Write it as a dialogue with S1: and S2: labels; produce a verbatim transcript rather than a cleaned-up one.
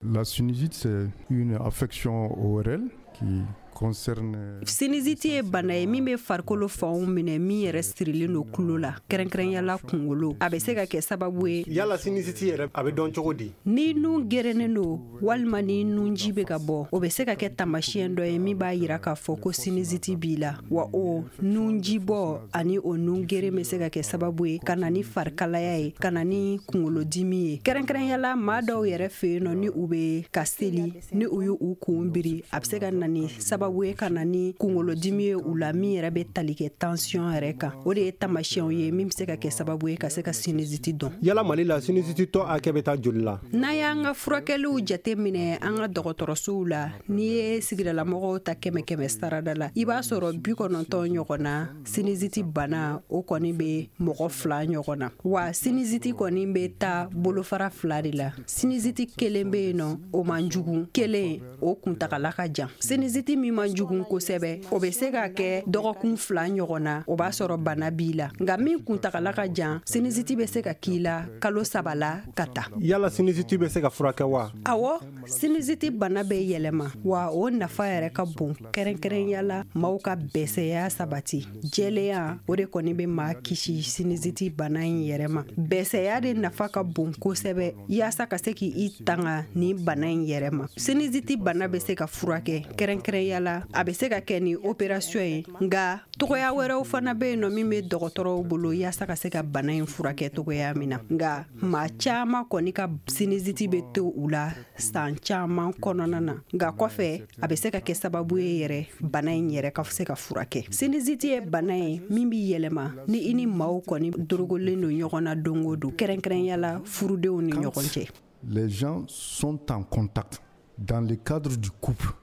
S1: La sinusite, c'est une affection O R L qui concerne
S2: Sinusite ye bana ye min bɛ farikolo fanw minɛ, min yɛrɛ sirilen don tulo la, kɛrɛnkɛrɛnyala kunkolo. A bɛ se ka kɛ sababu ye.
S3: Yala sinusite yɛrɛ, a bɛ dɔn cogo di?
S2: Ni nun gerennen don walima ni nunji bɛ ka bɔ, o bɛ se ka kɛ tamasiyɛn dɔ ye min b'a yira k'a fɔ ko sinusite b'i la. Wa o nunji bɔ ani o nun geren bɛ se ka kɛ sababu ye ka na ni farikalaya ye, ka na ni kunkolodimi ye. Kɛrɛnkɛrɛnyala, maa dɔw yɛrɛ fɛ yen nɔ, ni u bɛ ka seli, ni u y'u u kun biri, a bɛ se ka na ni sababu ye ka na ni kunkolodimi ye u la, min yɛrɛ bɛ tali kɛ tension yɛrɛ kan. O de ye tamasiyɛnw ye min bɛ se ka kɛ sababu ye ka se ka sinusite dɔn.
S3: Yala Mali la, sinusite tɔ hakɛ bɛ taa joli la?
S2: N'an y'an ka furakɛliw jate minɛ an ka dɔgɔtɔrɔsow la, n'i ye sigidalamɔgɔw ta kɛmɛ kɛmɛ sarada la, i b'a sɔrɔ bi kɔnɔntɔn ɲɔgɔn na, sinusite bana o kɔni bɛ mɔgɔ fila ɲɔgɔn na. Wa sinusite kɔni bɛ taa bolofara fila de la. Sinusite kelen bɛ yen nɔ, o man jugu, kelen o kuntagala ka jan. Sinusite min man jugu kosɛbɛ, o bɛ se ka kɛ dɔgɔkun fila ɲɔgɔn na, o b'a sɔrɔ bana b'i la. Nka min kuntagala ka jan, sinusite bɛ se ka k'i la kalo saba la ka taa.
S3: Yala sinusite bɛ se ka furakɛ wa?
S2: Awɔ, sinusite bana bɛ yɛlɛma, wa o nafa yɛrɛ ka bon, kɛrɛnkɛrɛnya maaw ka bɛsɛya sabati. Jɛlenya, o de kɔni bɛ maa kisi sinusite bana in yɛrɛ ma. Bɛsɛya de nafa ka bon kosɛbɛ yaasa ka se k'i tanga ni bana in yɛrɛ ma. Sinusite bana bɛ se ka furakɛ, kɛrɛnkɛrɛnya la a bɛ se ka kɛ ni opération ye. Nka togoya wɛrɛw fana bɛ yen nɔ min bɛ dɔgɔtɔrɔw bolo yaasa ka se ka bana in furakɛ togoya min na. Nka maa caman kɔni ka sinusite bɛ to u la san caman kɔnɔna na, nka kɔfɛ a bɛ se ka kɛ sababu ye yɛrɛ bana in yɛrɛ ka se ka furakɛ. Sinusite ye bana ye min bɛ yɛlɛma ni i ni maaw kɔni dorogolen don ɲɔgɔn na don o don, kɛrɛnkɛrɛnya la furudenw ni ɲɔgɔn cɛ.
S1: Les gens sont en contact dans le cadre du couple.